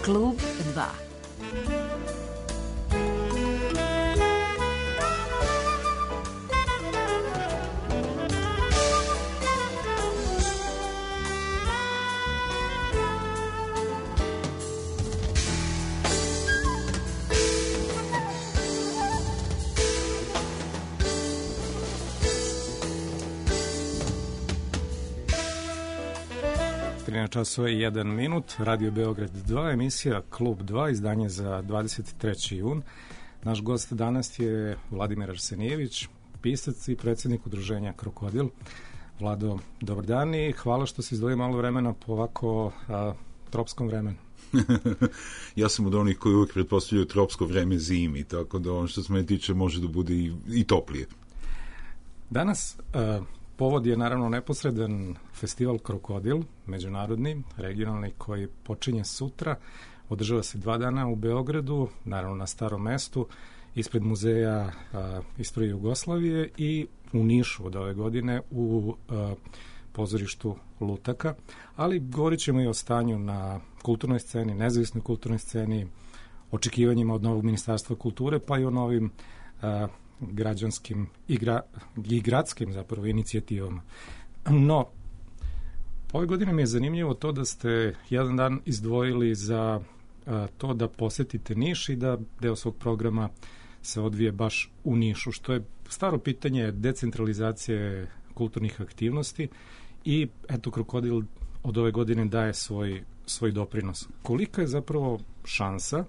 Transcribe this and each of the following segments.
Klub 2. Časova i 1 minut, Radio Beograd 2, emisija Klub 2, izdanje za 23. jun. Naš gost danas je Vladimir Arsenijević, pisac i predsjednik udruženja Krokodil. Vlado, dobar dan i hvala što si izdvojio malo vremena po ovako tropskom vremenu. Ja sam od onih koji uvijek pretpostavljaju tropsko vreme zimi, tako da ono što se mene tiče može da bude i toplije. Danas povod je naravno neposredan festival Krokodil, međunarodni, regionalni, koji počinje sutra. Održava se 2 dana u Beogradu, naravno na Starom mestu, ispred Muzeja istorije Jugoslavije i u Nišu od ove godine u pozorištu Lutaka. Ali govorit ćemo i o stanju na kulturnoj sceni, nezavisnoj kulturnoj sceni, očekivanjima od novog Ministarstva kulture, pa i o novim građanskim i gradskim zapravo inicijativama. No, ove godine mi je zanimljivo to da ste jedan dan izdvojili za to da posetite Niš i da deo svog programa se odvije baš u Nišu, što je staro pitanje decentralizacije kulturnih aktivnosti i eto Krokodil od ove godine daje svoj doprinos. Kolika je zapravo šansa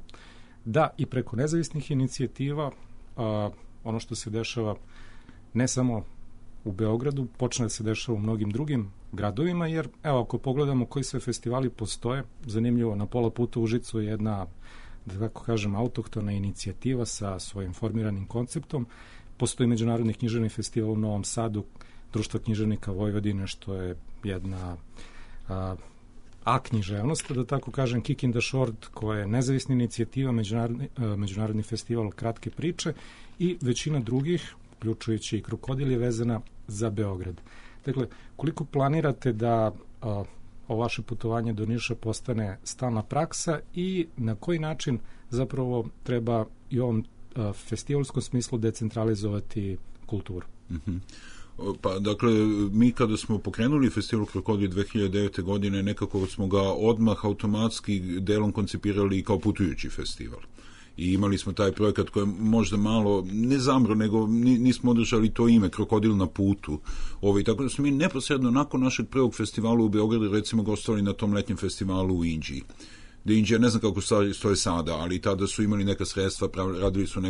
da i preko nezavisnih inicijativa ono što se dešava ne samo u Beogradu, počne da se dešava u mnogim drugim gradovima, jer evo ako pogledamo koji sve festivali postoje, zanimljivo, na pola puta u Užicu je jedna, da tako kažem, autohtona inicijativa sa svojim formiranim konceptom. Postoji Međunarodni književni festival u Novom Sadu, Društvo književnika Vojvodine, što je jedna književnost, da tako kažem, Kick in the Short, koja je nezavisna inicijativa, međunarodni festival kratke priče i većina drugih, uključujući i Krokodil, je vezana za Beograd. Dakle, koliko planirate da ovo vaše putovanje do Niša postane stalna praksa i na koji način zapravo treba i u ovom festivalskom smislu decentralizovati kulturu? Pa, dakle, mi kada smo pokrenuli festival Krokodil 2009. godine, nekako smo ga odmah automatski delom koncipirali kao putujući festival. I imali smo taj projekat koji je možda malo, ne zamro, nego nismo održali to ime, Krokodil na putu. Tako da smo mi neposredno nakon našeg prvog festivala u Beogradu, recimo, gostovali na tom letnjem festivalu u Inđiji. Indija, ne znam kako stoje sada, ali tada su imali neka sredstva, radili su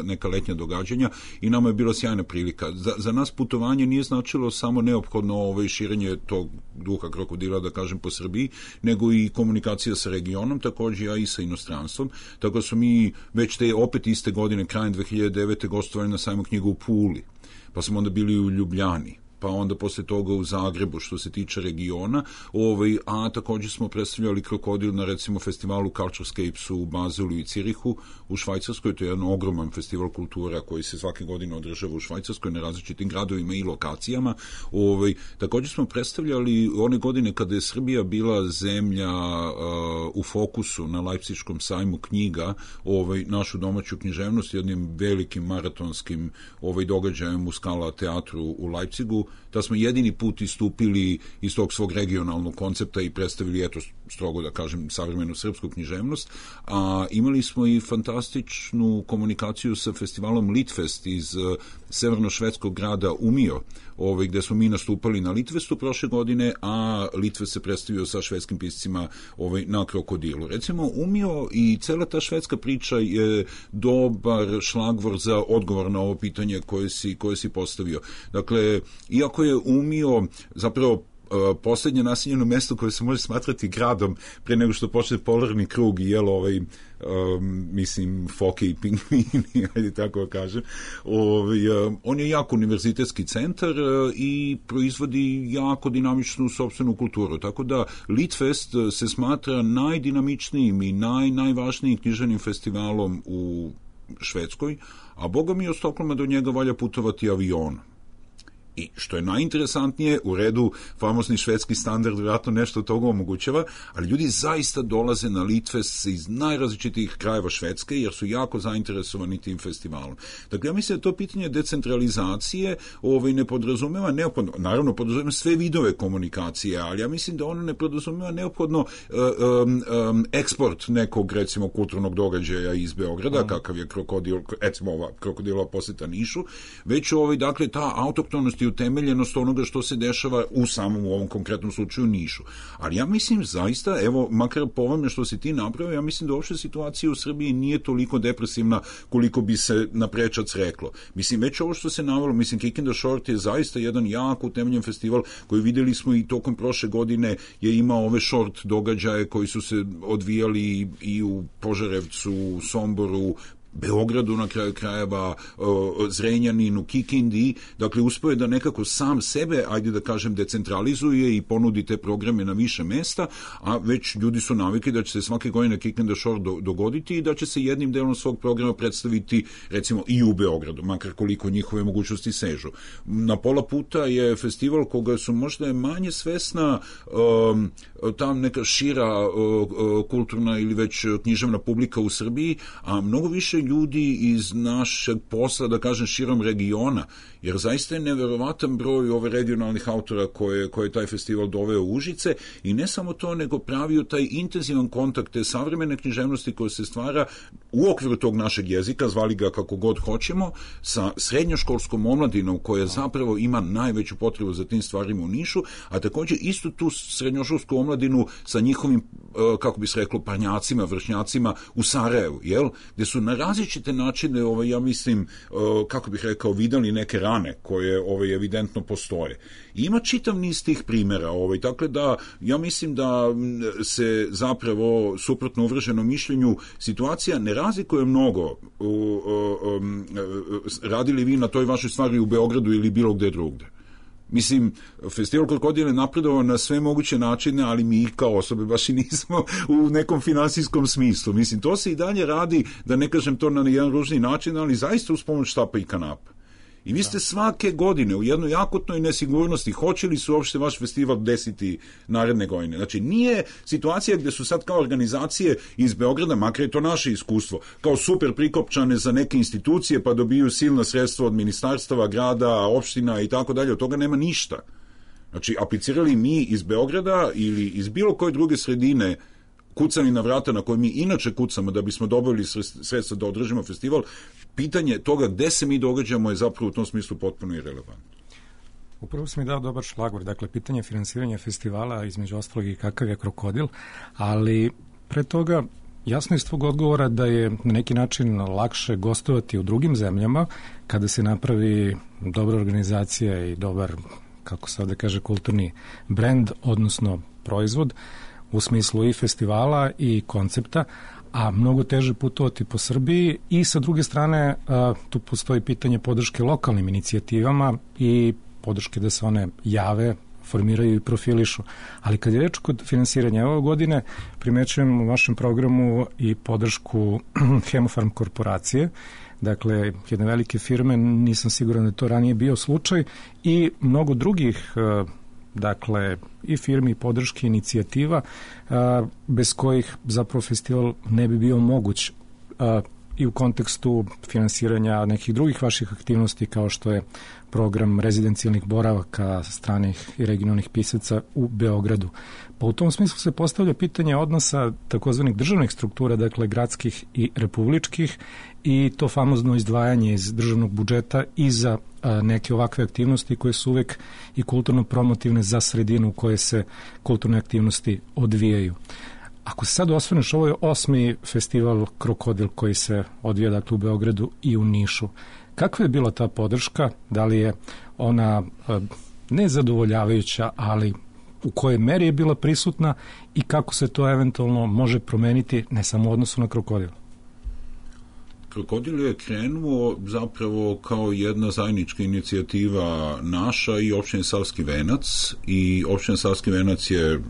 neka letnja događanja i nama je bila sjajna prilika. Za nas putovanje nije značilo samo neophodno širenje tog duha krokodila, da kažem, po Srbiji, nego i komunikacija sa regionom, također i sa inostranstvom. Tako da su mi već te opet iste godine, krajem 2009. gostovali na sajmu knjiga u Puli, pa smo onda bili u Ljubljani, pa onda posle toga u Zagrebu što se tiče regiona, a također smo predstavljali Krokodil na recimo festivalu Culturescapes u Bazelu i Cirihu u Švajcarskoj, to je jedan ogroman festival kultura koji se svake godine održava u Švajcarskoj na različitim gradovima i lokacijama. Također smo predstavljali one godine kada je Srbija bila zemlja u fokusu na Leipziškom sajmu knjiga, našu domaću književnost jednim velikim maratonskim događajem u Skala teatru u Leipzigu. Da smo jedini put istupili iz tog svog regionalnog koncepta i predstavili, eto, strogo da kažem, savremenu srpsku književnost. A imali smo i fantastičnu komunikaciju sa festivalom Litfest iz severno-švedskog grada Umio, gde smo mi nastupali na Litvestu prošle godine, a Litvest se predstavio sa švedskim piscima na Krokodilu. Recimo, Umio i cela ta švedska priča je dobar šlagvor za odgovor na ovo pitanje koje si postavio. Dakle, iako je Umio zapravo poslednje naseljeno mesto koje se može smatrati gradom pre nego što počne polarni krug i mislim foke i pingvini, ajde tako kažem. On je jako univerzitetski centar i proizvodi jako dinamičnu sopstvenu kulturu, tako da Litfest se smatra najdinamičnijim i najvažnijim književnim festivalom u Švedskoj, a boga mi od Stokholma do njega valja putovati avionom. I što je najinteresantnije, u redu famozni švedski standard vjerojatno nešto od toga omogućava, ali ljudi zaista dolaze na Litvest iz najrazličitijih krajeva Švedske jer su jako zainteresovani tim festivalom. Dakle, ja mislim da to pitanje decentralizacije ne podrazumeva neophodno, naravno podrazumeva sve vidove komunikacije, ali ja mislim da ono ne podrazumeva neophodno eksport nekog, recimo, kulturnog događaja iz Beograda, kakav je krokodilova poseta Nišu, već dakle, ta autoktonost i utemeljenost onoga što se dešava u samom u ovom konkretnom slučaju Nišu. Ali ja mislim zaista, evo, makar po ovome što si ti napravio, ja mislim da uopšte situacija u Srbiji nije toliko depresivna koliko bi se na prečac reklo. Mislim, već ovo što se navelo, mislim, Kick in the Short je zaista jedan jako utemeljen festival koji videli smo i tokom prošle godine je imao ove short događaje koji su se odvijali i u Požarevcu, u Somboru, Beogradu na kraju krajeva, Zrenjaninu, Kikindi, dakle uspeo je da nekako sam sebe, ajde da kažem, decentralizuje i ponudi te programe na više mesta, a već ljudi su navikli da će se svake godine Kick in the Shore dogoditi i da će se jednim delom svog programa predstaviti recimo i u Beogradu, makar koliko njihove mogućnosti sežu. Na pola puta je festival koga su možda manje svesna tam neka šira kulturna ili već književna publika u Srbiji, a mnogo više ljudi iz našeg posla, da kažem, širom regiona, jer zaista je neverovatan broj ove regionalnih autora koje taj festival doveo u Užice i ne samo to, nego pravio taj intenzivan kontakt te savremene književnosti koja se stvara u okviru tog našeg jezika, zvali ga kako god hoćemo, sa srednjoškolskom omladinom koja zapravo ima najveću potrebu za tim stvarima u Nišu, a također istu tu srednjoškolsku omladinu sa njihovim, kako bi se reklo, parnjacima, vršnjacima u Sarajevu, jel? Gde su na različite načine, ja mislim, kako bih rekao, videli neke rane koje evidentno postoje. I ima čitav niz tih primjera, dakle da ja mislim da se zapravo, suprotno uvrženom mišljenju, situacija ne razlikuje mnogo radili vi na toj vašoj stvari u Beogradu ili bilo gde drugde. Mislim, festival Krokodil je napredovao na sve moguće načine, ali mi kao osobe baš i nismo u nekom finansijskom smislu. Mislim, to se i dalje radi, da ne kažem to na jedan ružni način, ali zaista uz pomoć štapa i kanapa. I vi ste svake godine u jednoj akutnoj nesigurnosti, hoće li se uopšte vaš festival desiti naredne godine. Znači, nije situacija gde su sad kao organizacije iz Beograda, makar je to naše iskustvo, kao super prikopčane za neke institucije, pa dobiju silna sredstva od ministarstava, grada, opština i tako dalje, od toga nema ništa. Znači, aplicirali mi iz Beograda ili iz bilo koje druge sredine, kucani na vrata na koje mi inače kucamo da bismo dobili sredstva da održimo festival, pitanje toga gde se mi događamo je zapravo u tom smislu potpuno irelevantno. Upravo si mi dao dobar šlagvor, dakle pitanje finansiranja festivala, između ostalog i kakav je Krokodil, ali pre toga jasno je iz tvog odgovora da je na neki način lakše gostovati u drugim zemljama kada se napravi dobra organizacija i dobar, kako se ovde kaže, kulturni brend, odnosno proizvod, u smislu i festivala i koncepta, a mnogo teže putovati po Srbiji i sa druge strane tu postoji pitanje podrške lokalnim inicijativama i podrške da se one jave, formiraju i profilišu. Ali kad je reč kod finansiranja ove godine, primećujem u vašem programu i podršku Hemofarm korporacije, dakle jedne velike firme, nisam siguran da je to ranije bio slučaj, i mnogo drugih dakle i firmi, podrške, inicijativa bez kojih zapravo festival ne bi bio moguć i u kontekstu finansiranja nekih drugih vaših aktivnosti kao što je program rezidencijalnih boravaka stranih i regionalnih pisaca u Beogradu. Pa u tom smislu se postavlja pitanje odnosa takozvanih državnih struktura, dakle gradskih i republičkih, i to famozno izdvajanje iz državnog budžeta i za neke ovakve aktivnosti koje su uvek i kulturno promotivne za sredinu u kojoj se kulturne aktivnosti odvijaju. Ako se sad osvrneš, ovo je 8. festival Krokodil koji se odvija, dakle, u Beogradu i u Nišu. Kakva je bila ta podrška? Da li je ona nezadovoljavajuća, ali u kojoj meri je bila prisutna i kako se to eventualno može promeniti ne samo u odnosu na Krokodil? Krokodil je krenuo zapravo kao jedna zajednička inicijativa naša i opštine Savski Venac, i opština Savski Venac je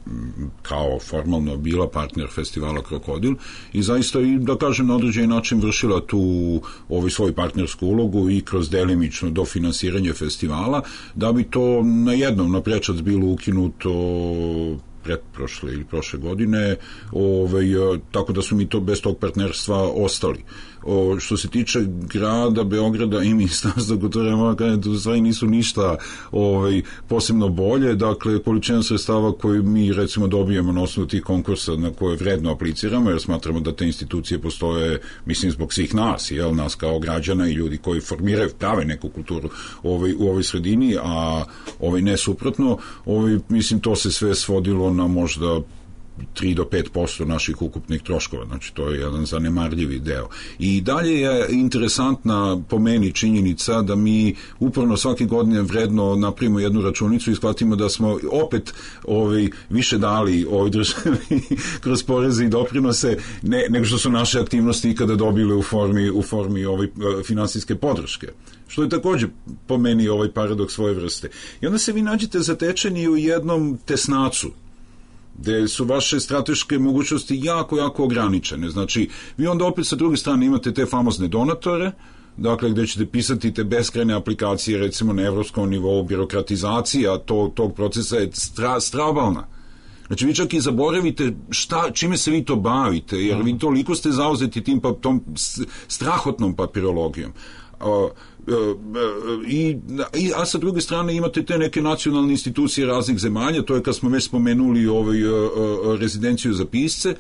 kao formalno bila partner festivala Krokodil i zaista, i da kažem, na određeni način vršila tu svoju partnersku ulogu i kroz delimično dofinansiranje festivala, da bi to na jednom naprečac bilo ukinuto pretprošle ili prošle godine, tako da su mi to bez tog partnerstva ostali. Što se tiče grada Beograda i Ministarstva kulture, u stvari nisu ništa posebno bolje. Dakle, količina sredstava koju mi recimo dobijemo na osnovu tih konkursa na koje vredno apliciramo, jer smatramo da te institucije postoje, mislim, zbog svih nas, nas kao građana i ljudi koji formiraju, prave neku kulturu u ovoj sredini, a ne suprotno. Mislim, to se sve svodilo na možda 3 do 5% naših ukupnih troškova, znači to je jedan zanemarljivi deo. I dalje je interesantna po meni činjenica da mi uporno svake godine vredno napravimo jednu računicu i shvatimo da smo opet više dali ovoj državi kroz poreze i doprinose nego što su naše aktivnosti ikada dobile u formi finansijske podrške. Što je također po meni paradoks svoje vrste. I onda se vi nađete zatečeni u jednom tesnacu, gde su vaše strateške mogućnosti jako, jako ograničene. Znači, vi onda opet sa druge strane imate te famozne donatore, dakle, gde ćete pisati te beskrajne aplikacije, recimo na evropskom nivou, birokratizacija tog procesa je strabalna. Znači, vi čak i zaboravite čime se vi to bavite, jer vi toliko ste zauzeti tom strahotnom papirologijom. A sa druge strane imate te neke nacionalne institucije raznih zemalja, to je kad smo već spomenuli rezidenciju za pisce,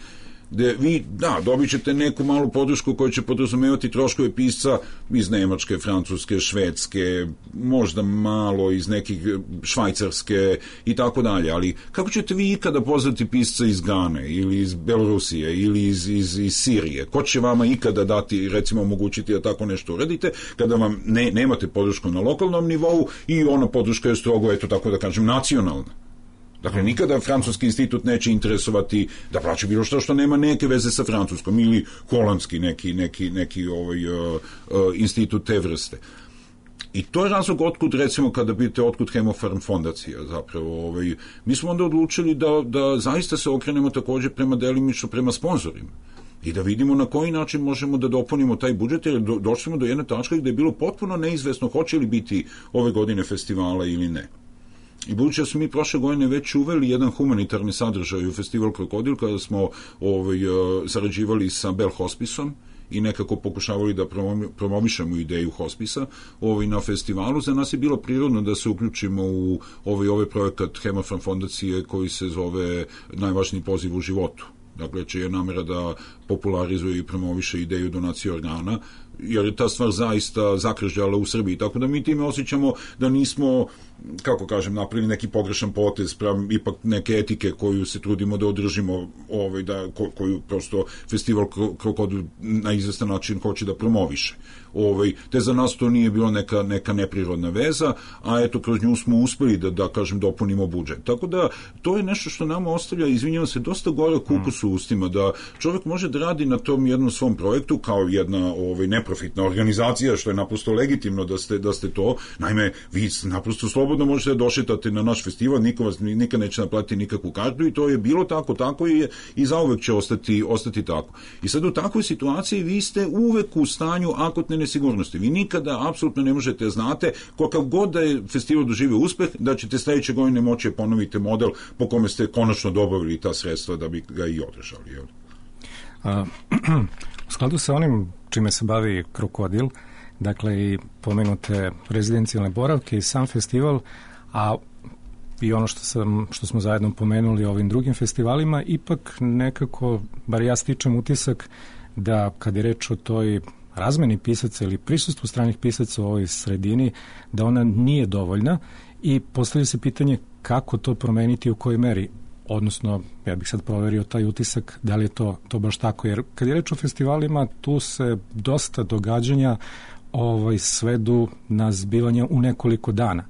gde vi, dobit ćete neku malu podršku koja će podrazumevati troškove pisca iz Nemačke, Francuske, Švedske, možda malo iz nekih Švajcarske i tako dalje, ali kako ćete vi ikada pozvati pisca iz Gane ili iz Belorusije ili iz Sirije? Ko će vama ikada dati, recimo, omogućiti da tako nešto uradite kada vam nemate podršku na lokalnom nivou i ona podrška je strogo, eto tako da kažem, nacionalna? Dakle, nikada Francuski institut neće interesovati da plaća bilo što nema neke veze sa Francuskom ili holandski neki institut te vrste. I to je razlog otkud, recimo, kada vidite otkud Hemofarm fondacija zapravo. Mi smo onda odlučili da zaista se okrenemo također delimično prema sponzorima i da vidimo na koji način možemo da dopunimo taj budžet, jer došli smo do jedne tačke gde je bilo potpuno neizvesno hoće li biti ove godine festivala ili ne. I budući da smo mi prošle godine već uveli jedan humanitarni sadržaj u festival Krokodil, kada smo sarađivali sa Bell Hospisom i nekako pokušavali da promovišemo ideju hospisa na festivalu, za nas je bilo prirodno da se uključimo u ovaj projekat Hemofarm fondacije koji se zove Najvažniji poziv u životu. Dakle, čija je namera da popularizuje i promoviše ideju donacije organa, jer je ta stvar zaista zakržljala u Srbiji. Tako da mi time osjećamo da nismo, kako kažem, napravili neki pogrešan potez sprem ipak neke etike koju se trudimo da održimo, koju prosto festival Krokodil na izvestan način hoće da promoviše. Te za nas to nije bilo neka neprirodna veza, a eto, kroz nju smo uspeli da kažem, dopunimo budžet. Tako da, to je nešto što nama ostavlja, izvinjavam se, dosta gorak ukus u ustima, da čovjek može da radi na tom jednom svom projektu kao jedna neprofitna organizacija, što je naprosto legitimno da ste to. Naime, vi naprosto slobodno možete da došetate na naš festival, niko vas nikad neće naplatiti nikakvu kartu i to je bilo tako i zauvek će ostati tako. I sad u takvoj situaciji vi ste uvek u stanju akutne nesigurnosti. Vi nikada apsolutno ne možete znate kakav god da je festival doživio uspeh, da ćete sledeće godine moći ponoviti model po kome ste konačno dobavili ta sredstva da bi ga i održali. U skladu sa onim čime se bavi Krokodil, dakle i pomenute rezidencijalne boravke i sam festival, a i ono što smo zajedno pomenuli ovim drugim festivalima, ipak nekako, bar ja stičem utisak da kad je reč o toj razmeni pisaca ili prisustvu stranih pisaca u ovoj sredini, da ona nije dovoljna i postavlja se pitanje kako to promeniti, u kojoj meri. Odnosno, ja bih sad proverio taj utisak, da li je to baš tako. Jer kad je reč o festivalima, tu se dosta događanja svedu na zbivanje u nekoliko dana.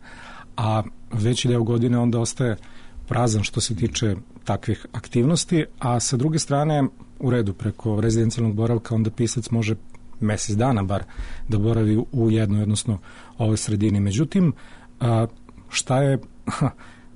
A veći deo godine onda ostaje prazan što se tiče takvih aktivnosti, a sa druge strane, u redu, preko rezidencijalnog boravka onda pisac može mesec dana bar da boravi u jednoj, odnosno ovoj sredini. Međutim, šta je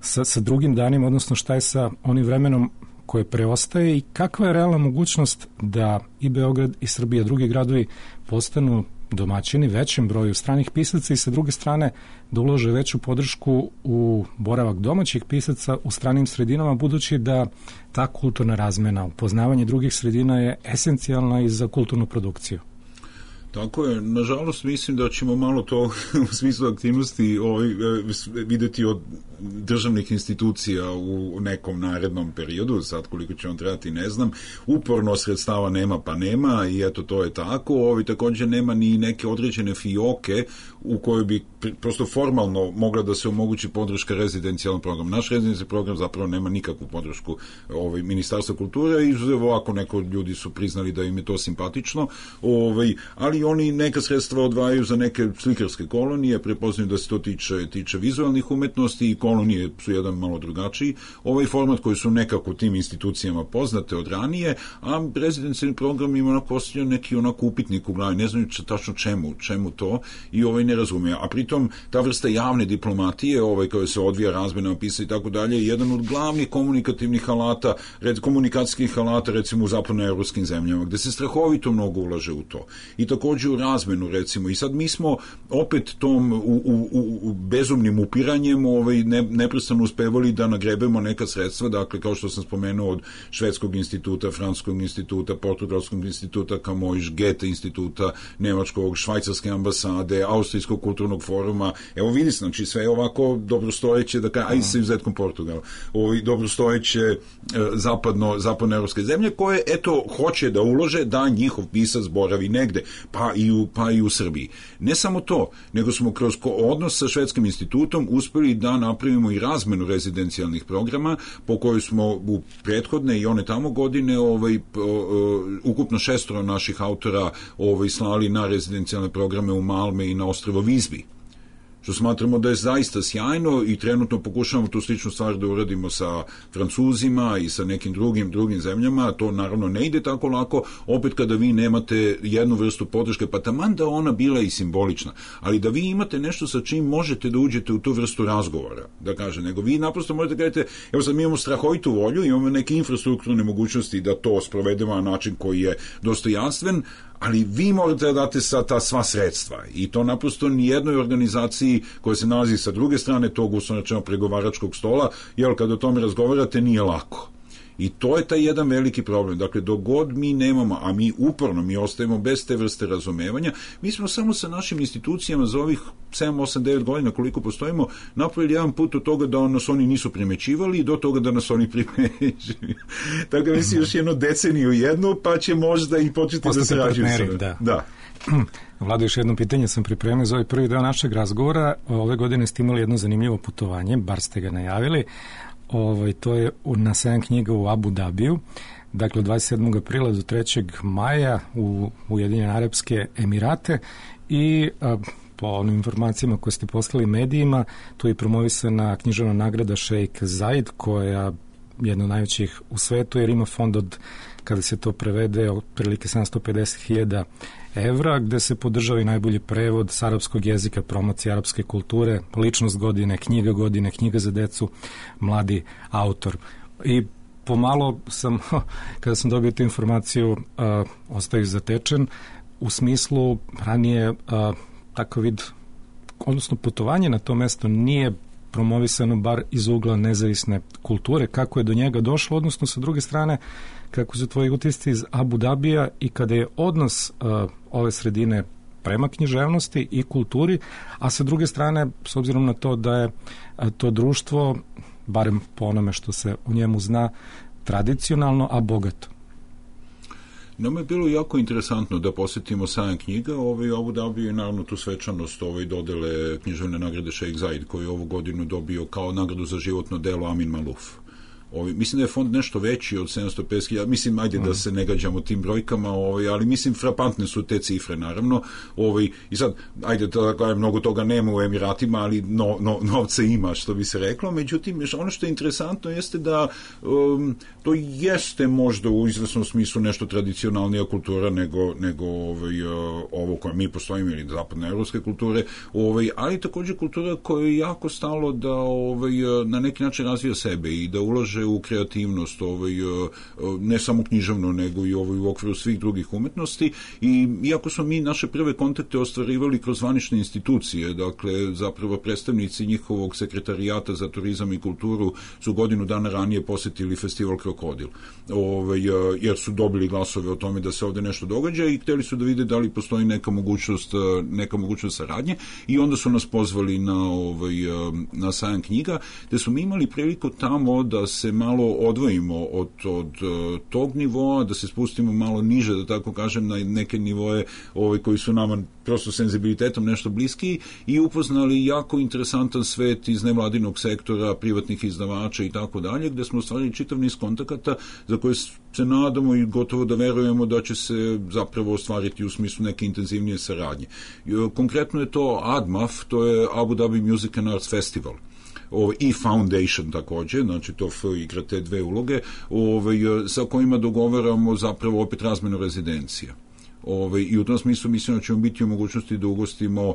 sa drugim danima, odnosno šta je sa onim vremenom koje preostaje i kakva je realna mogućnost da i Beograd i Srbija, drugi gradovi postanu domaćini većem broju stranih pisaca i sa druge strane da ulože veću podršku u boravak domaćih pisaca u stranim sredinama, budući da ta kulturna razmena, upoznavanje drugih sredina je esencijalna i za kulturnu produkciju. Tako je, nažalost mislim da ćemo malo to u smislu aktivnosti videti od državnih institucija u nekom narednom periodu, sad koliko će on trebati ne znam, uporno sredstava nema pa nema i eto to je tako, također nema ni neke određene fioke u kojoj bi prosto formalno mogla da se omogući podrška rezidencijalnom programu. Naš rezidencijalni program zapravo nema nikakvu podršku Ministarstva kulture, izuzev ovako neko ljudi su priznali da im je to simpatično, ali oni neka sredstva odvajaju za neke slikarske kolonije, prepoznaju da se to tiče vizualnih umetnosti i kolonije su jedan malo drugačiji format koji su nekako tim institucijama poznate od ranije, a rezidencijalni program ima postavljen neki upitnik u glavi, ne znaju tačno čemu to i ne razumije. A pritom ta vrsta javne diplomatije koja se odvija razmena opisa i tako dalje je jedan od glavnih komunikativnih alata, komunikacijskih alata recimo u zapadnoevropskim zemljama, gde se strahovito mnogo ulaže u to. I također u razmenu recimo. I sad mi smo opet tom u bezumnim upiranjem neprestano uspevali da nagrebemo neka sredstva, dakle kao što sam spomenuo od Švedskog instituta, Francuskog instituta, Portugalskog instituta, Camões, Goethe instituta, Nemačkog, Švajcarske ambasade, Austrijskog kulturnog foruma. Evo vidi, znači sve je ovako dobrostojeće, aj sa izuzetkom Portugala, dobrostojeće zapadnoevropske zemlje koje, eto, hoće da ulože da njihov pisac boravi negde, pa i u Srbiji. Ne samo to, nego smo kroz odnos sa Švedskim institutom uspeli da napravimo i razmenu rezidencijalnih programa, po kojoj smo u prethodne i one tamo godine ukupno 6 naših autora slali na rezidencijalne programe u Malme i na ostrvo Vizbi, što smatramo da je zaista sjajno i trenutno pokušavamo tu sličnu stvar da uradimo sa Francuzima i sa nekim drugim zemljama. To naravno ne ide tako lako, opet kada vi nemate jednu vrstu podrške, pa taman da ona bila i simbolična, ali da vi imate nešto sa čim možete da uđete u tu vrstu razgovora, da kažem, nego vi naprosto možete kažete, evo sad mi imamo strahovitu volju, imamo neke infrastrukturne mogućnosti da to sprovedemo na način koji je dostojanstven, ali vi morate da date ta sva sredstva i to naprosto nijednoj organizaciji koja se nalazi sa druge strane tog uslovno pregovaračkog stola, jer kad o tome razgovarate nije lako. I to je taj jedan veliki problem. Dakle, dok god mi nemamo, a mi uporno, mi ostajemo bez te vrste razumevanja, mi smo samo sa našim institucijama za ovih 7, 8, 9 godina koliko postojimo, napravili jedan put od toga da nas oni nisu primećivali i do toga da nas oni primećuju. Tako da mislim još jednu deceniju pa će možda i početi da se rađuju. Da. Vlado, još jedno pitanje sam pripremio za ovaj prvi deo našeg razgovora. Ove godine ste imali jedno zanimljivo putovanje, bar ste ga najavili. To je na sajam knjiga u Abu Dabiju, dakle od 27. aprila do 3. maja u Ujedinjene Arapske Emirate i po onim informacijama koje ste poslali medijima, tu je promovisana književna nagrada Šejk Zaid, koja je jedna od najvećih u svetu, jer ima fond od, kada se to prevede, otprilike 750.000 evra, gde se podržava i najbolji prevod s arapskog jezika, promocija arapske kulture, ličnost godine, knjiga za decu, mladi autor. I pomalo sam, kada sam dobio tu informaciju, ostao zatečen, u smislu ranije takav vid, odnosno putovanje na to mesto nije promovisano bar iz ugla nezavisne kulture, kako je do njega došlo, odnosno sa druge strane kako su tvoji utisci iz Abu Dabija i kada je odnos ove sredine prema književnosti i kulturi, a sa druge strane, s obzirom na to da je to društvo, barem po onome što se o njemu zna, tradicionalno, a bogato. Nama je bilo jako interesantno da posjetimo sajam knjiga, Abu Dhabi je naravno tu svečanost dodele književne nagrade Šejk Zaid, koju je ovu godinu dobio kao nagradu za životno delo Amin Maluf. Mislim da je fond nešto veći od 750.000, mislim, ajde da se ne gađamo tim brojkama, ali mislim, frapantne su te cifre, naravno. I sad, ajde, mnogo toga nema u Emiratima, ali novca ima, što bi se reklo. Međutim, ono što je interesantno jeste da to jeste možda u izvesnom smislu nešto tradicionalnija kultura nego ovo koje mi postojimo, ili zapadnoevropske kulture, ali također kultura koja je jako stalo da na neki način razvija sebe i da ulaže u kreativnost, ne samo književno, nego i u okviru svih drugih umetnosti. I iako smo mi naše prve kontakte ostvarivali kroz zvanične institucije, dakle, zapravo predstavnici njihovog sekretarijata za turizam i kulturu su godinu dana ranije posetili festival Krokodil, jer su dobili glasove o tome da se ovde nešto događa i hteli su da vide da li postoji neka mogućnost saradnje, i onda su nas pozvali na sajam knjiga, gde smo mi imali priliku tamo da se malo odvojimo od tog nivoa, da se spustimo malo niže, da tako kažem, na neke nivoe koji su nama prosto senzibilitetom nešto bliski, i upoznali jako interesantan svet iz nevladinog sektora, privatnih izdavača i tako dalje, gde smo ostvarili čitav niz kontakata za koje se nadamo i gotovo da verujemo da će se zapravo ostvariti u smislu neke intenzivnije saradnje. Konkretno je to ADMAF, to je Abu Dhabi Music and Arts Festival, i Foundation takođe, znači to F igra te dve uloge, sa kojima dogovaramo zapravo opet razmenu rezidencija. I u tom smislu mislim da ćemo biti u mogućnosti da ugostimo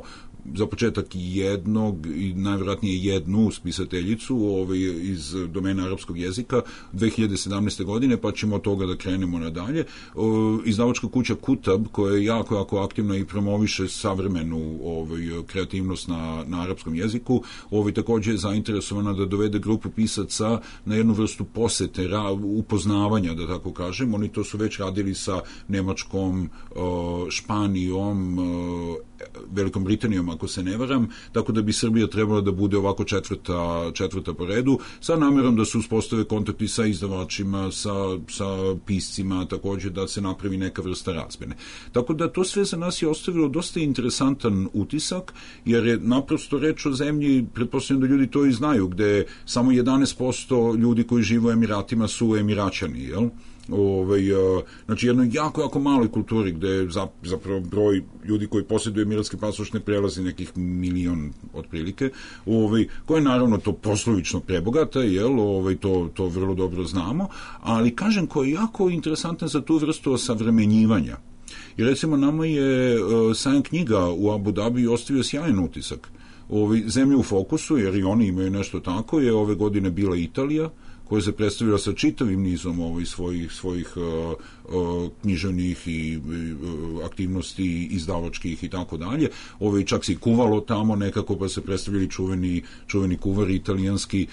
za početak jednog i najvjerojatnije jednu spisateljicu iz domena arapskog jezika 2017. godine, pa ćemo od toga da krenemo nadalje. Izdavačka kuća Kutab, koja je jako, jako aktivna i promoviše savremenu kreativnost na arapskom jeziku, također je zainteresovana da dovede grupu pisaca na jednu vrstu posete, upoznavanja, da tako kažem. Oni to su već radili sa Nemačkom, Španijom, Velikom Britanijom, ako se ne varam, tako da bi Srbija trebala da bude ovako četvrta po redu, sa namerom da se uspostave kontakti sa izdavačima, sa piscima, također da se napravi neka vrsta razmene. Tako da to sve za nas je ostavilo dosta interesantan utisak, jer je naprosto reč o zemlji, pretpostavljam da ljudi to i znaju, gde samo 11% ljudi koji žive u Emiratima su Emiraćani, jel? Znači jednoj jako, jako maloj kulturi gde zapravo broj ljudi koji posjeduju emiratski pasoš ne prelazi nekih 1 milion otprilike, koje naravno to poslovično prebogata, jel, to vrlo dobro znamo, ali kažem koji je jako interesantan za tu vrstu osavremenjivanja. I recimo nama je sajam knjiga u Abu Dhabi ostavio sjajan utisak. Zemlja u fokusu, jer i oni imaju nešto tako, je ove godine bila Italija, koja se predstavila sa čitavim nizom svojih književnih i aktivnosti izdavačkih i tako dalje. Čak se i kuvalo tamo nekako, pa se predstavili čuveni kuvari italijanski.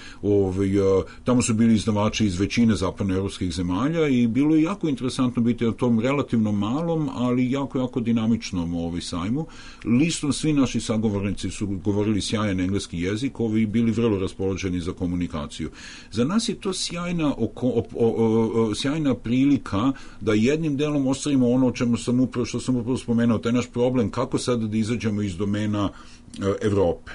Tamo su bili izdavači iz većine zapadnoevropskih zemalja i bilo je jako interesantno biti na tom relativno malom, ali jako, jako dinamičnom sajmu. Listom svi naši sagovornici su govorili sjajan engleski jezik, bili vrlo raspoloženi za komunikaciju. Za nas je to sjajna prilika da jednim delom ostvarimo ono što sam upravo spomenuo, taj naš problem kako sada da izađemo iz domena Evrope.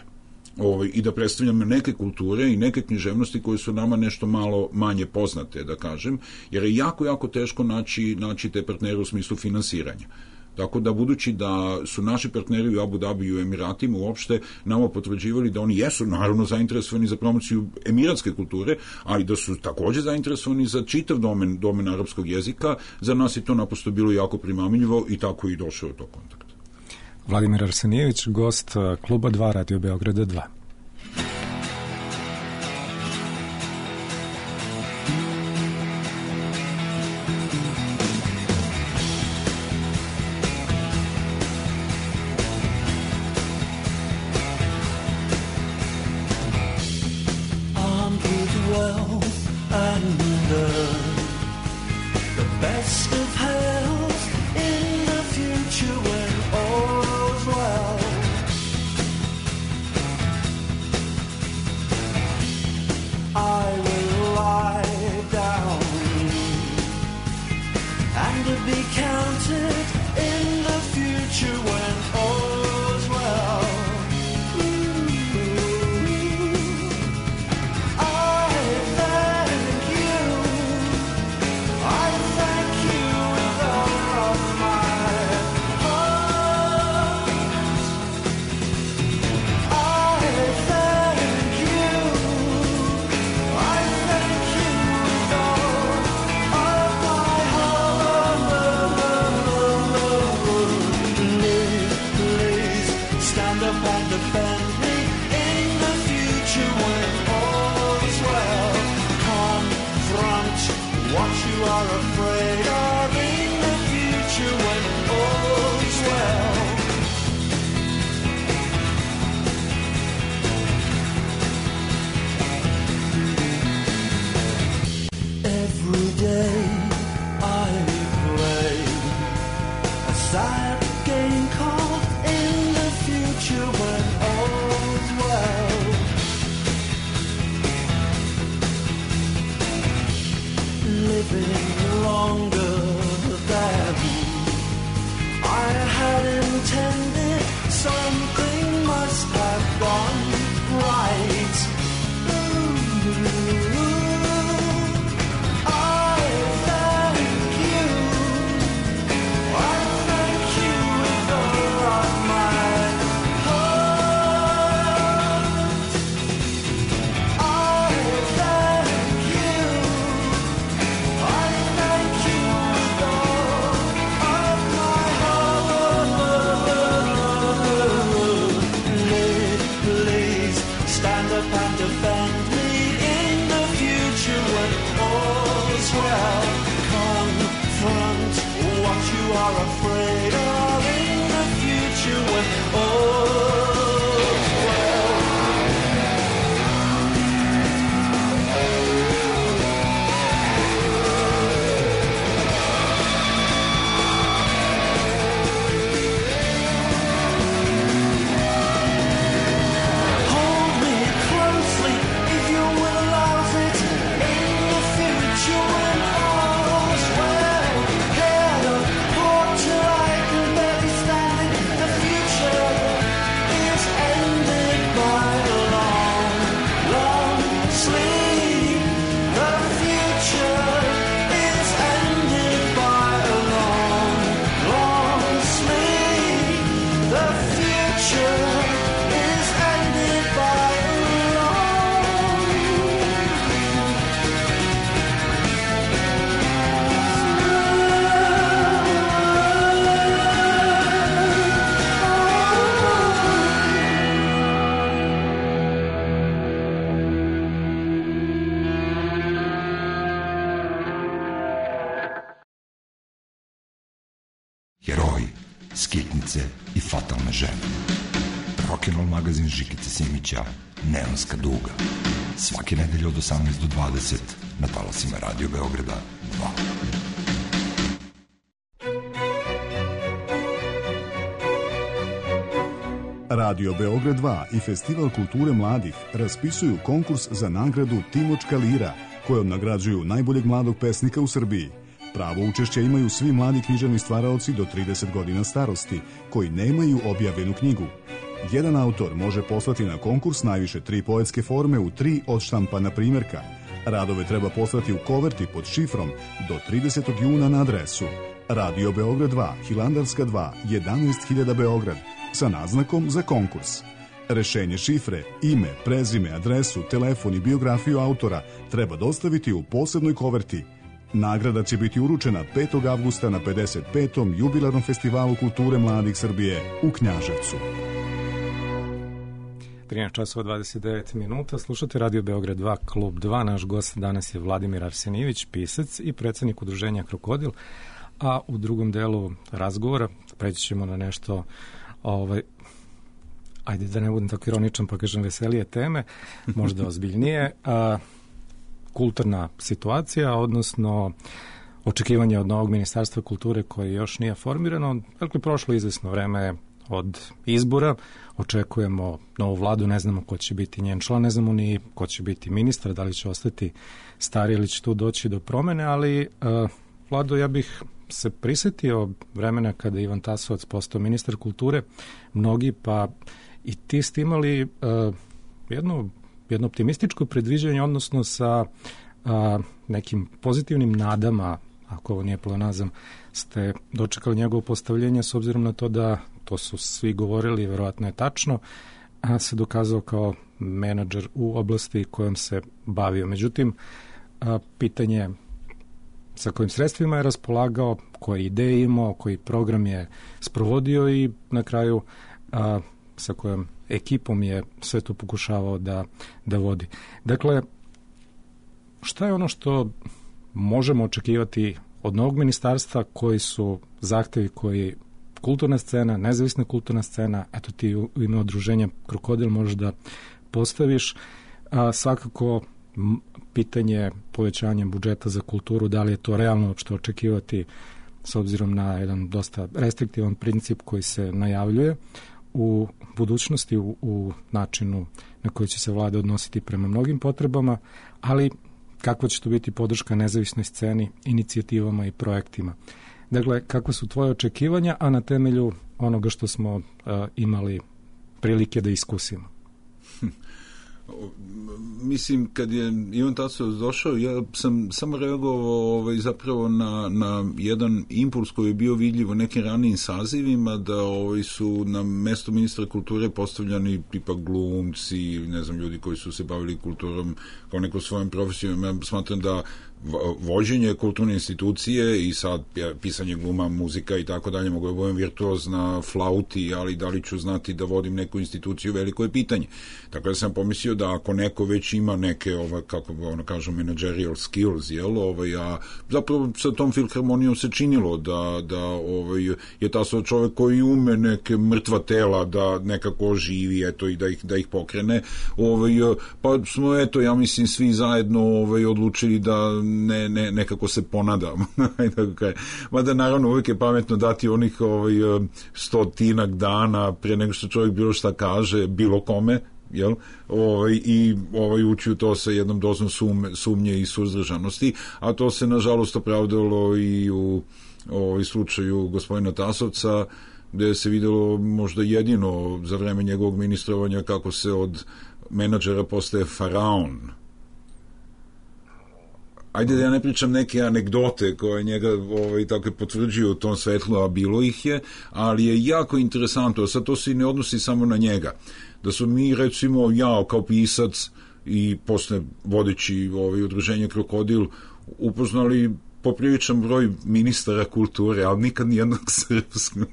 I da predstavljamo neke kulture i neke književnosti koje su nama nešto malo manje poznate, da kažem, jer je jako, jako teško naći te partnere u smislu finansiranja. Tako da, budući da su naši partneri u Abu Dhabi i u Emiratima uopšte nama potvrđivali da oni jesu naravno zainteresovani za promociju emiratske kulture, ali da su također zainteresovani za čitav domen arapskog jezika, za nas je to naprosto bilo jako primamljivo i tako i došao do kontakta. Vladimir Arsenijević, gost Kluba 2 Radio Beograda 2. I thank you. living longer than I had intended. Something must have gone right. I thank you with all of my heart. I thank you with all of my heart. Please stand up and defend me in the future when all's well. Confront what you are afraid of in the future when all's well. Hold me closely if you will allow it in the future when all's well. Head up, port till I can barely stand it. The future is ended by a long, long sleep. The future is ended by a long, long sleep. The future is ended by a long Heroji, skitnice i fatalne žene. Rock'n'roll magazin Žikice Simića, Neonska duga. Svake nedelje od 18 do 20 na talasima Radio Beograda 2. Radio Beograd 2 i Festival kulture mladih raspisuju konkurs za nagradu Timočka lira, kojom nagrađuju najboljeg mladog pesnika u Srbiji. Pravo učešća imaju svi mladi književni stvaraoci do 30 godina starosti, koji nemaju objavljenu knjigu. Jedan autor može poslati na konkurs najviše 3 poetske forme u 3 odštampana primjerka. Radove treba poslati u koverti pod šifrom do 30. juna na adresu Radio Beograd 2, Hilandarska 2, 11.000 Beograd, sa naznakom za konkurs. Rešenje šifre, ime, prezime, adresu, telefon i biografiju autora treba dostaviti u posebnoj koverti. Nagrada će biti uručena 5. avgusta na 55. jubilarnom festivalu kulture mladih Srbije u Knjaževcu. 13 časova 29 minuta, slušate Radio Beograd 2, Klub 2. Naš gost danas je Vladimir Arsenijević, pisac i predsednik udruženja Krokodil, a u drugom delu razgovora preći ćemo na nešto, ajde da ne budem tako ironičan pa kažem veselije teme, možda ozbiljnije, kulturna situacija, odnosno očekivanje od novog ministarstva kulture koje još nije formirano. Dakle, prošlo izvesno vreme od izbora, očekujemo novu vladu, ne znamo ko će biti njen član, ne znamo ni ko će biti ministar, da li će ostati stari ili će tu doći do promene, ali Vlado, ja bih se prisetio vremena kada je Ivan Tasovac postao ministar kulture, mnogi pa i ti ste imali jedno optimističko predviđanje, odnosno sa nekim pozitivnim nadama, ako ovo nije pleonazam, ste dočekali njegovo postavljenje s obzirom na to da, to su svi govorili, verovatno je tačno, se dokazao kao menadžer u oblasti kojom se bavio. Međutim, pitanje sa kojim sredstvima je raspolagao, koje ideje imao, koji program je sprovodio i na kraju sa kojom ekipom je sve to pokušavao da vodi. Dakle, šta je ono što možemo očekivati od novog ministarstva, koji su zahtevi koji kulturna scena, nezavisna kulturna scena, eto ti u ime udruženja Krokodil možeš da postaviš, svakako pitanje povećanja budžeta za kulturu, da li je to realno uopšte očekivati s obzirom na jedan dosta restriktivan princip koji se najavljuje u budućnosti, u načinu na koji će se vlada odnositi prema mnogim potrebama, ali kakva će to biti podrška nezavisnoj sceni, inicijativama i projektima. Dakle, kakva su tvoje očekivanja, a na temelju onoga što smo imali prilike da iskusimo? Mislim, kad je Ivan Tasovac došao, ja sam samo reagovao zapravo na jedan impuls koji je bio vidljiv u nekim ranijim sazivima, da su na mesto ministra kulture postavljani tipa glumci ili ne znam, ljudi koji su se bavili kulturom kao neko svojom profesijom. Ja smatram da vođenje kulturne institucije i sad pisanje gluma, muzika i tako dalje, mogu da budem virtuoz na flauti, ali da li ću znati da vodim neku instituciju, veliko je pitanje. Tako da sam pomislio da ako neko već ima neke, kako kažu, managerial skills, a zapravo sa tom filharmonijom se činilo da je Tasovac čovjek koji ume neke mrtva tela da nekako oživi, eto, i da ih pokrene, pa smo, eto, ja mislim, svi zajedno odlučili da nekako se ponadamo. Mada naravno uvijek je pametno dati onih 100 dana pre nego što čovjek bilo šta kaže, bilo kome, jel? I ući u to sa jednom dozom sumnje i suzdržanosti, a to se nažalost opravdalo i u slučaju gospodina Tasovca, gde se videlo možda jedino za vreme njegovog ministrovanja kako se od menadžera postaje faraon. Ajde da ja ne pričam neke anegdote koje njega tako potvrđuju u tom svetlu, a bilo ih je, ali je jako interesantno, sad to se ne odnosi samo na njega, da su mi, recimo, ja kao pisac i posle vodeći udruženje Krokodil upoznali popriličan broj ministara kulture, ali nikad nijednog srpskog.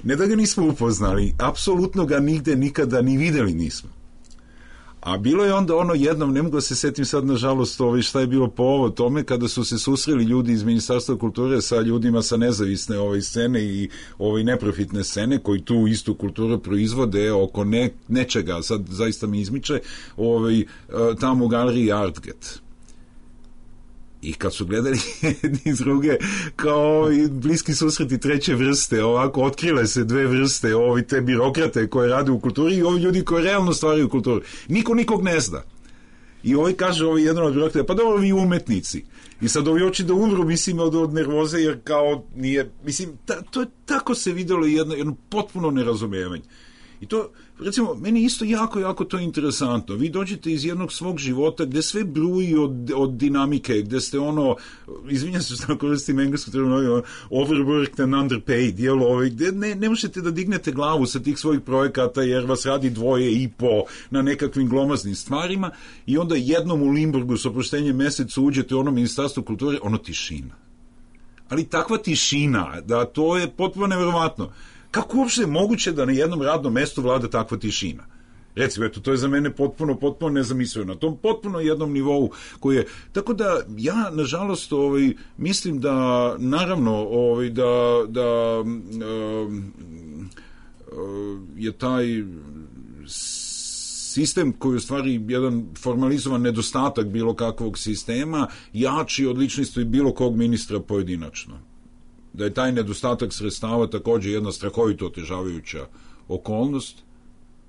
Ne da ga nismo upoznali, apsolutno ga nigde nikada ni videli nismo. A bilo je onda jednom, ne mogu da se setim sad nažalost šta je bilo po ovo tome, kada su se susreli ljudi iz Ministarstva kulture sa ljudima sa nezavisne scene i neprofitne scene koji tu istu kulturu proizvode oko nečega, sad zaista mi izmiče, tamo u galeriji Artget. I kad su gledali jedni iz druge kao bliski susreti treće vrste, ovako otkrile se dve vrste, te birokrate koje rade u kulturi i ovi ljudi koji realno stvaraju kulturu. Niko nikog ne zna. I kaže jedan od birokrata, pa dobro, vi umetnici. I sad ovi oči da umru, mislim, od nervoze, jer kao nije, mislim, to je tako se videlo jedno potpuno nerazumijevanje. I to, recimo, meni isto jako to interesantno. Vi dođete iz jednog svog života gde sve bruji od dinamike, gde ste izvinjam se što koristim englesku terminologiju, overworked and underpaid, gde ne možete da dignete glavu sa tih svojih projekata jer vas radi 2,5 na nekakvim glomaznim stvarima i onda jednom u Limburgu s oproštenjem mesecu uđete u Ministarstvo kulture, tišina. Ali takva tišina, da to je potpuno neverovatno. Kako uopšte je moguće da na jednom radnom mestu vlada takva tišina? Recimo, eto, to je za mene potpuno nezamislivo, na tom potpuno jednom nivou koji je, tako da ja, nažalost, mislim da, naravno, da je taj sistem koji je u stvari jedan formalizovan nedostatak bilo kakvog sistema jači od ličnosti bilo kog ministra pojedinačno. Da je taj nedostatak sredstava također jedna strahovito otežavajuća okolnost,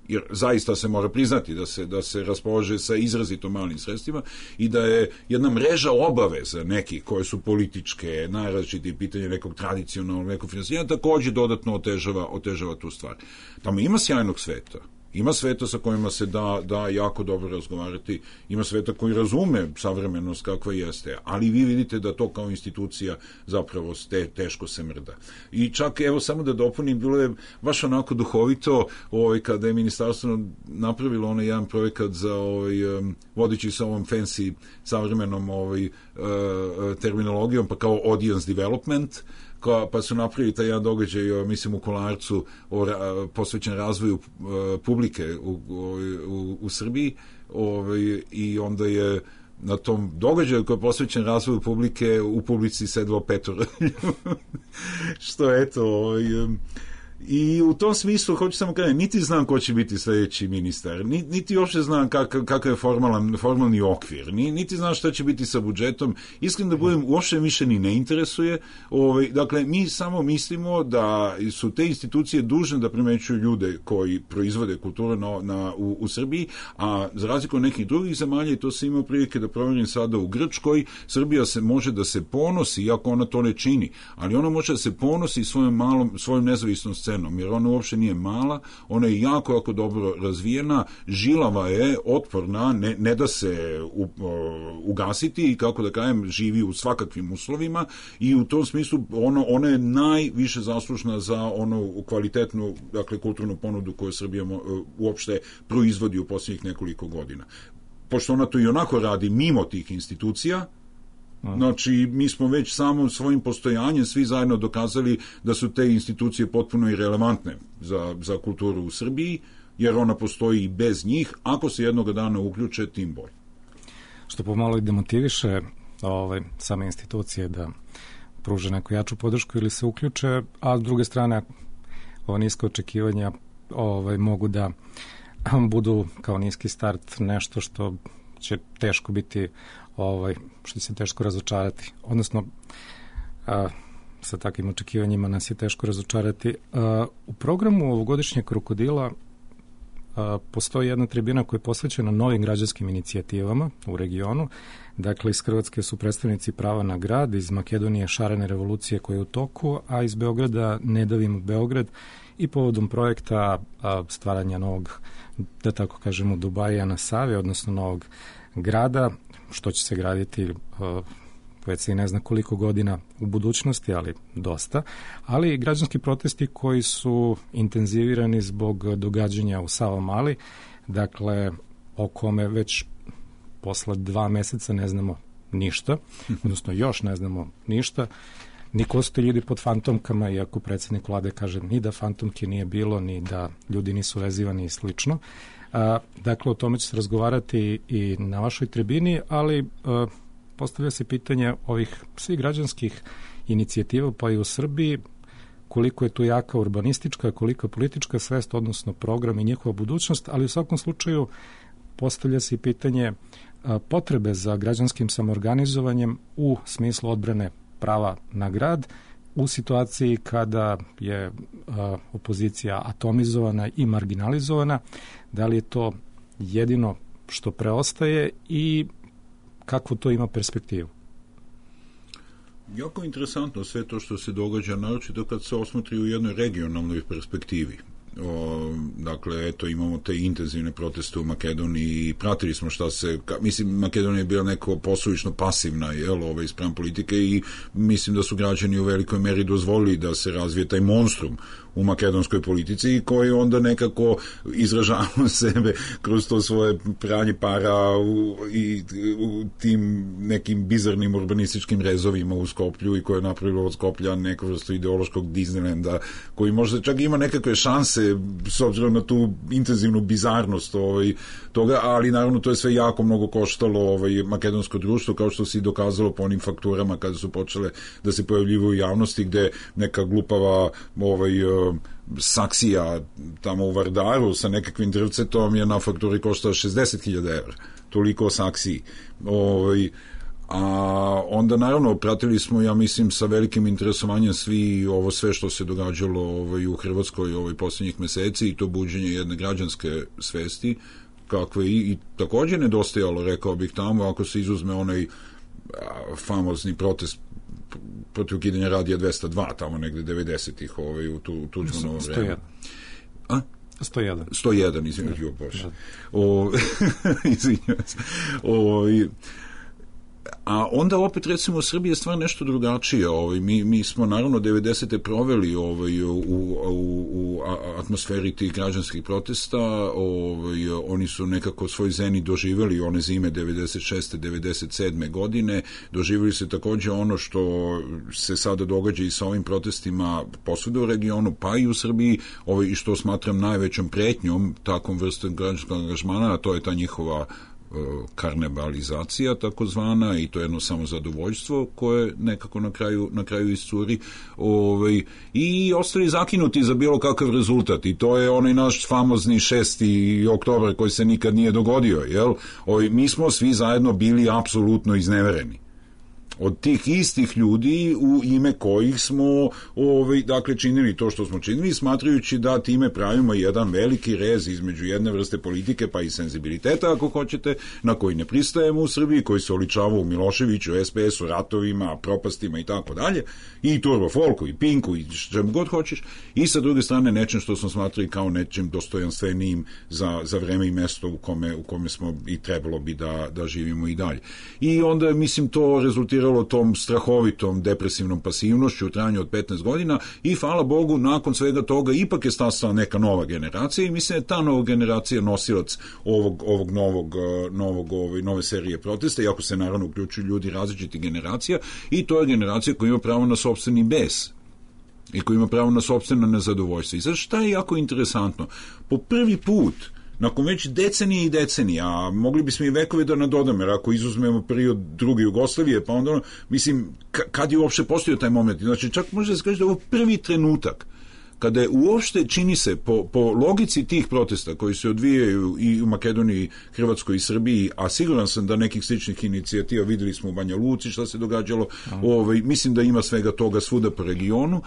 jer zaista se mora priznati da se raspolaže sa izrazito malim sredstvima i da je jedna mreža obaveza nekih koje su političke, najrazličitije pitanje nekog tradicionalnog, nekog finansiranja, također dodatno otežava tu stvar. Tamo ima sjajnog sveta. Ima sveta sa kojima se da jako dobro razgovarati, ima sveta koji razume savremenost kakva jeste, ali vi vidite da to kao institucija zapravo teško se mrda. I čak, evo, samo da dopunim, bilo je baš onako duhovito kada je ministarstvo napravilo jedan projekat za vodeći sa ovom fancy savremenom terminologijom, pa kao audience development, pa su napravili taj jedan događaj, mislim, u Kolarcu, posvećen razvoju publike u Srbiji, i onda je na tom događaju koji je posvećen razvoju publike u publici sedlo 5. Što eto, I u tom smislu, hoću samo kažem, niti znam ko će biti sljedeći ministar, niti uopšte znam kakav je formalni okvir, niti znam šta će biti sa budžetom. Iskreno da budem, uopšte više ni ne interesuje. Dakle, mi samo mislimo da su te institucije dužne da primećuju ljude koji proizvode kulturu u Srbiji, a za razliku od nekih drugih zemalja, i to se ima prilike da provjerim sada u Grčkoj, Srbija se može da se ponosi, iako ona to ne čini, ali ona može da se ponosi svojom nezavisnom scenom, jer ona uopšte nije mala, ona je jako dobro razvijena, žilava je, otporna, ne da se ugasiti i, kako da kažem, živi u svakakvim uslovima, i u tom smislu ona je najviše zaslužna za onu kvalitetnu, dakle, kulturnu ponudu koju Srbija uopšte proizvodi u posljednjih nekoliko godina. Pošto ona to i onako radi mimo tih institucija, znači, mi smo već samo svojim postojanjem svi zajedno dokazali da su te institucije potpuno irelevantne za kulturu u Srbiji, jer ona postoji i bez njih. Ako se jednog dana uključe, tim bolje. Što pomalo i demotiviše same institucije da pruže neku jaču podršku ili se uključe, a s druge strane, ova niska očekivanja mogu da budu kao niski start nešto što će teško biti, što će se teško razočarati. Odnosno, sa takvim očekivanjima nas je teško razočarati. U programu ovogodišnjeg Krokodila postoji jedna tribina koja je posvećena novim građanskim inicijativama u regionu. Dakle, iz Hrvatske su predstavnici Prava na grad, iz Makedonije Šarene revolucije koja je u toku, a iz Beograda Ne davimo Beograd, i povodom projekta stvaranja novog, da tako kažemo, Dubaija na Savi, odnosno novog grada, što će se graditi već se i ne zna koliko godina u budućnosti, ali dosta, ali i građanski protesti koji su intenzivirani zbog događanja u Savamali, dakle, o kome već posle 2 meseca ne znamo ništa, odnosno još ne znamo ništa, ni ko su ti ljudi pod fantomkama, iako predsjednik vlade kaže ni da fantomke nije bilo, ni da ljudi nisu vezivani i slično. Dakle, o tome će se razgovarati i na vašoj tribini, ali postavlja se pitanje ovih svih građanskih inicijativa, pa i u Srbiji, koliko je tu jaka urbanistička, koliko je politička svest, odnosno program i njihova budućnost, ali u svakom slučaju postavlja se i pitanje potrebe za građanskim samoorganizovanjem u smislu odbrane prava na grad, u situaciji kada je opozicija atomizovana i marginalizovana. Da li je to jedino što preostaje i kakvu to ima perspektivu? Jako interesantno sve to što se događa, naročito kad se osmotri u jednoj regionalnoj perspektivi. Dakle, eto, imamo te intenzivne proteste u Makedoniji i pratili smo šta se, mislim, Makedonija je bila neko posuvično pasivna, spram politike, i mislim da su građani u velikoj meri dozvolili da se razvije taj monstrum u makedonskoj politici, koji onda nekako izražavaju sebe kroz to svoje pranje para i u tim nekim bizarnim urbanističkim rezovima u Skoplju, i koje je napravilo od Skoplja neko vrstu ideološkog Disneylanda, koji možda čak ima nekakve šanse s obzirom na tu intenzivnu bizarnost toga, ali naravno to je sve jako mnogo koštalo makedonsko društvo, kao što se i dokazalo po onim fakturama kada su počele da se pojavljivu u javnosti, gde neka glupava saksija tamo u Vardaru sa nekakvim drvcetom je na fakturi koštala 60.000 evra. Toliko o saksiji. A onda naravno pratili smo, ja mislim, sa velikim interesovanjem sve što se događalo u Hrvatskoj posljednjih meseci, i to buđenje jedne građanske svesti, kakve i također nedostajalo, rekao bih, tamo, ako se izuzme onaj famozni protest protiv ukidanja Radija 202, tamo negde 90-ih u Tuđmanovo vreme. 101, izvinjam Bože. Izvinjam se. A onda opet, recimo, u Srbiji je stvar nešto drugačije. Mi smo naravno 90. proveli u atmosferi tih građanskih protesta. Oni su nekako svoj zeni doživjeli one zime 96. 97. godine. Doživjeli se također ono što se sada događa i sa ovim protestima posvuda u regionu, pa i u Srbiji, i što smatram najvećom pretnjom takvom vrstom građanskog angažmana, a to je ta njihova karnevalizacija takozvana i to je jedno samozadovoljstvo koje nekako na kraju iscuri i ostali zakinuti za bilo kakav rezultat i to je onaj naš famozni 6. oktobar koji se nikad nije dogodio, jel? Mi smo svi zajedno bili apsolutno iznevereni od tih istih ljudi u ime kojih smo dakle činili to što smo činili, smatrajući da time pravimo jedan veliki rez između jedne vrste politike pa i senzibiliteta, ako hoćete, na koji ne pristajemo u Srbiji, koji se oličava u Miloševiću, SPS-u, ratovima, propastima i tako dalje, i Turbo Folku, i Pinku, i čemu god hoćeš, i sa druge strane nečem što smo smatrali kao nečim dostojanstvenijim za vreme i mesto u kome smo i trebalo bi da živimo i dalje. I onda, mislim, to rezultiralo tom strahovitom depresivnom pasivnošću u trajanju od 15 godina i hvala Bogu nakon svega toga ipak je stasala neka nova generacija i mislim da je ta nova generacija nosilac ovog nove serije protesta, iako se naravno uključuju ljudi različitih generacija i to je generacija koja ima pravo na sopstveni bes i koja ima pravo na sopstveno nezadovoljstvo. I sad šta je jako interesantno? Po prvi put nakon već decenije i decenije, a mogli bismo i vekovi da nadodamo, jer ako izuzmemo period druge Jugoslavije, pa onda, mislim, kad je uopšte postojao taj moment? Znači, čak može da se kaže da je ovo prvi trenutak kada je uopšte, čini se, po logici tih protesta koji se odvijaju i u Makedoniji, Hrvatskoj i Srbiji, a siguran sam da nekih sličnih inicijativa videli smo u Banja Luci šta se događalo, mislim da ima svega toga svuda po regionu,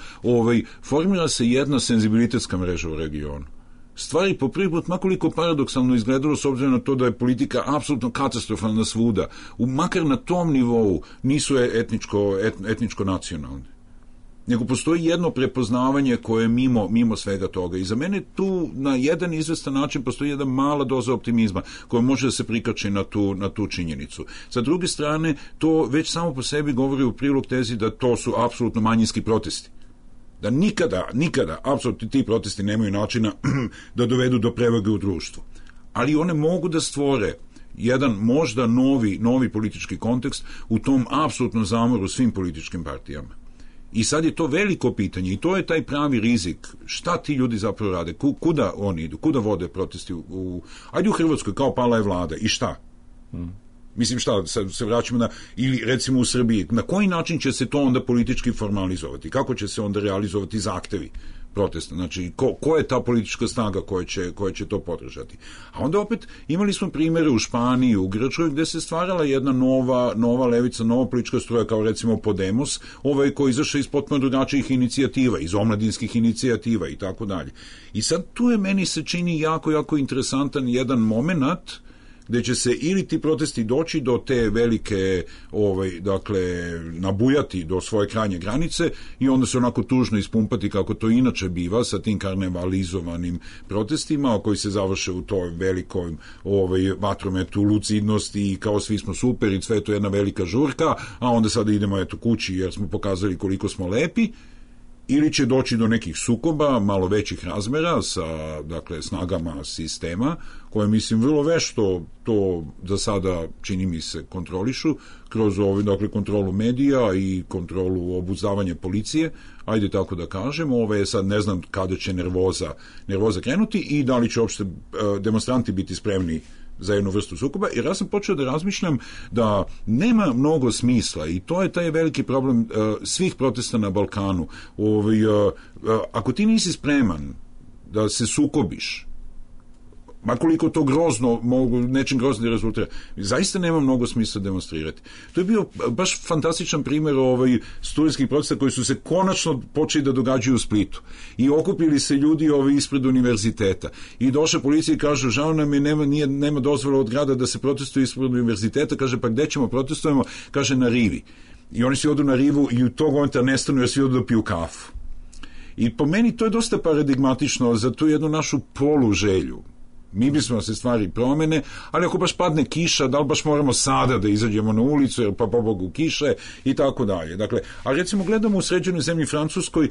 formira se jedna senzibilitetska mreža u regionu. Stvari po prvi put, makoliko paradoksalno izgledalo s obzirom na to da je politika apsolutno katastrofalna svuda, makar na tom nivou nisu etničko-nacionalne. Nego postoji jedno prepoznavanje koje je mimo svega toga. I za mene tu na jedan izvestan način postoji jedna mala doza optimizma koja može da se prikači na tu činjenicu. Sa druge strane, to već samo po sebi govori u prilog tezi da to su apsolutno manjinski protesti. Da nikada, apsolutno ti protesti nemaju načina da dovedu do prevage u društvu. Ali one mogu da stvore jedan možda novi politički kontekst u tom apsolutnom zamoru svim političkim partijama. I sad je to veliko pitanje i to je taj pravi rizik. Šta ti ljudi zapravo rade? Kuda oni idu? Kuda vode protesti? Ajde u Hrvatskoj, kao pala je vlada. I šta? Mislim šta, se vraćamo ili recimo u Srbiji, na koji način će se to onda politički formalizovati? Kako će se onda realizovati zahtevi protesta? Znači, ko je ta politička snaga koja će to podržati? A onda opet imali smo primere u Španiji, u Grčkoj, gde se stvarala jedna nova levica, nova politička struja, kao recimo Podemos, koji izašao iz potpuno drugačijih inicijativa, iz omladinskih inicijativa i tako dalje. I sad tu je meni se čini jako interesantan jedan moment gde će se ili ti protesti doći do te velike, dakle, nabujati do svoje krajnje granice i onda se onako tužno ispumpati kako to inače biva sa tim karnevalizovanim protestima koji se završe u toj velikoj vatrometu lucidnosti i kao svi smo super i sve to je jedna velika žurka, a onda sada idemo kući jer smo pokazali koliko smo lepi. Ili će doći do nekih sukoba, malo većih razmera sa, dakle, snagama sistema, koje, mislim, vrlo vešto to za sada, čini mi se, kontrolišu, kroz dakle, kontrolu medija i kontrolu obuzdavanja policije, ajde tako da kažem, sad ne znam kada će nervoza krenuti i da li će uopšte demonstranti biti spremni za jednu vrstu sukoba, jer ja sam počeo da razmišljam da nema mnogo smisla i to je taj veliki problem svih protesta na Balkanu. Ako ti nisi spreman da se sukobiš, makoliko to grozno, nečim grozno rezultira, zaista nema mnogo smisla demonstrirati. To je bio baš fantastičan primjer studentskih protesta koji su se konačno počeli da događaju u Splitu. I okupili se ljudi ispred univerziteta. I došla policija i kaže, žao nam je, nema dozvola od grada da se protestuje ispred univerziteta. Kaže, pa gde ćemo protestujemo? Kaže, na rivi. I oni svi odu na rivu i u tog momenta nestanu jer svi odu da piju kafu. I po meni to je dosta paradigmatično za tu jednu našu poluželju. Mi bismo se stvari promene, ali ako baš padne kiša, da li baš moramo sada da izađemo na ulicu, jer pa Bogu kiše i tako dalje. Dakle, a recimo gledamo u sređenoj zemlji Francuskoj,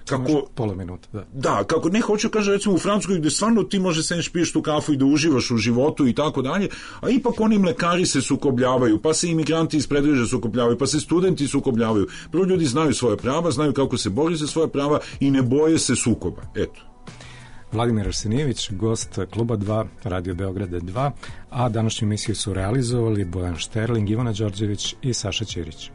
kako... Pola minuta, da. Da, kako ne hoću, kaže recimo u Francuskoj gde stvarno ti može senš piješ tu kafu i da uživaš u životu i tako dalje, a ipak oni mlekari se sukobljavaju, pa se imigranti iz predveže sukobljavaju, pa se studenti sukobljavaju. Prvo ljudi znaju svoje prava, znaju kako se bori za svoje prava i ne boje se sukoba. Eto. Vladimir Arsenijević, gost Kluba 2, Radio Beograda 2, a današnju emisiju su realizovali Bojan Šterling, Ivana Đorđević i Saša Ćirić.